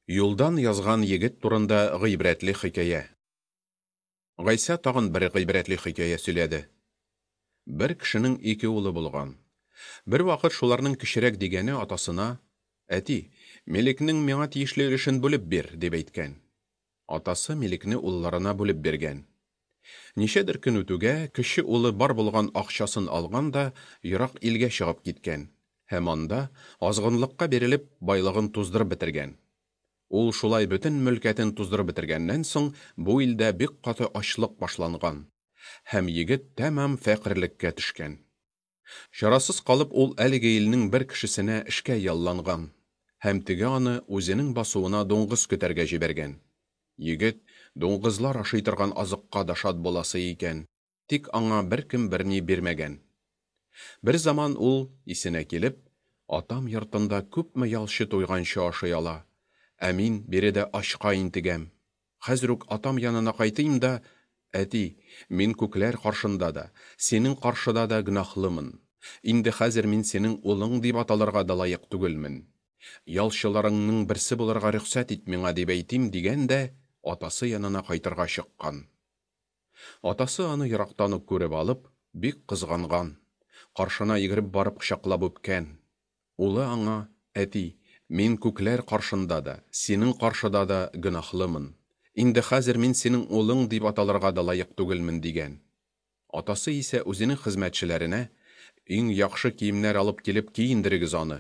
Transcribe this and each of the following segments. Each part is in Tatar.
Юлдан язган егет турында гыйбрәтле хикәя. Гайсә тагын бер гыйбрәтле хикәя сөйләде. Бер кешенең ике улы булган. Бервакыт шуларның кечерәк дигәне атасына: "Әти, милекнең миңа тиешле өлешен бүлеп бир", дип әйткән. Атасы милекне улларына бүлеп биргән. Ничәдер көн үтүгә, кече улы бар булган акчасын алган да ерак илгә чыгып киткән һәм анда, азгынлыкка бирелеп, байлыгын туздырып бетергән. Ул шулай бөтен мөлкәтен туздырып бетергәннән соң, бу илдә бик каты ачлык башланган, һәм егет тәмам фәкыйрьлеккә төшкән. Чарасыз калып, ул әлеге илнең бер кешесенә эшкә ялланган, һәм теге аны үзенең басуына дуңгыз көтәргә җибәргән. Егет дуңгызлар ашый торган азыкка да шат буласы икән, тик аңа беркем берни бирмәгән. Берзаман ул, исенә килеп, Атам йортында күпме ялчы туйганчы ашый ала, ә мин биредә ачка интегәм. Хәзер үк атам янына кайтыйм да, Әти, мин күкләр каршында да, синең каршыда да гөнаһлымын. Инде хәзер мин синең улың дип аталырга да лаек түгелмен. Ялчыларыңның берсе булырга рөхсәт ит миңа, дип әйтим, дигән дә атасы янына кайтырга чыккан. Атасы аны ерактан ук күреп алып, бик кызганган. Каршына йөгереп барып кочаклап үпкән. Улы аңа, Әти, мин күкләр каршында да, синең каршыда да гөнаһлымын. Инде хәзер мин синең улың дип аталырга да лаек түгелмен, дигән. Атасы исә үзенең хезмәтчеләренә, Иң яхшы киемнәр алып килеп киендерегез аны,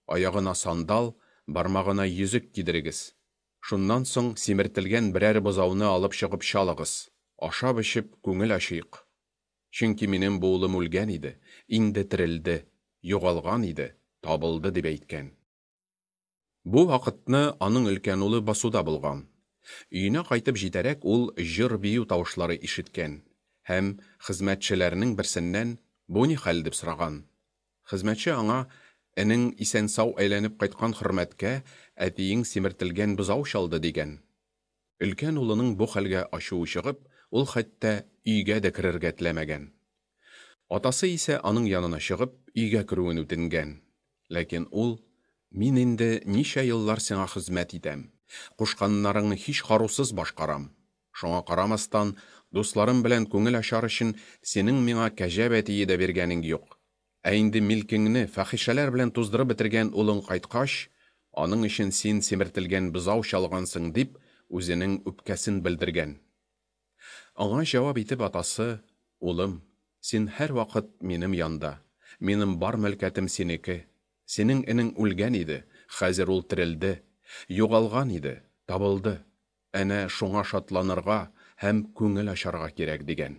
аягына сандал, бармагына йөзек кидерегез. Шуннан соң симертелгән берәр бозауны алып чыгып чалыгыз, ашап-эчеп күңел ачыйк. Чөнки минем бу улым үлгән иде, инде терелде, югалган иде, табылды, дип әйткән. Бу вакытны аның өлкән улы басуда булган. Өенә кайтып җитәрәк ул җыр-бию тавышлары ишеткән һәм хезмәтчеләрнең берсеннән, Бу ни хәл? дип сораган. Хезмәтче аңа, Энең исән-сау әйләнеп кайткан хөрмәткә әтиең симертелгән бозау чалды, дигән. Өлкән улының бу хәлгә ачуы чыгып, ул хәтта өйгә дә керергә теләмәгән. Атасы исә аның янына чыгып, өйгә керүен үтенгән. Ләкин ул, Мин инде ничә еллар сиңа хезмәт итәм, кушканнарыңны һич карусыз башкарам. Шуңа карамастан, дусларым белән күңел ачар өчен синең миңа кәҗә бәтие дә биргәнең юк. Ә инде милкеңне фәхишәләр белән туздырып бетергән улың кайткач, аның өчен син симертелгән бозау чалгансың, дип, үзенең үпкәсен белдергән. Аңа җавап итеп атасы, Улым, син һәрвакыт минем янда, минем бар мөлкәтем синеке. Синең энең үлгән иде, хәзер ул терелде, югалган иде, табылды. Әнә шуңа шатланырга һәм күңел ачарга кирәк, дигән.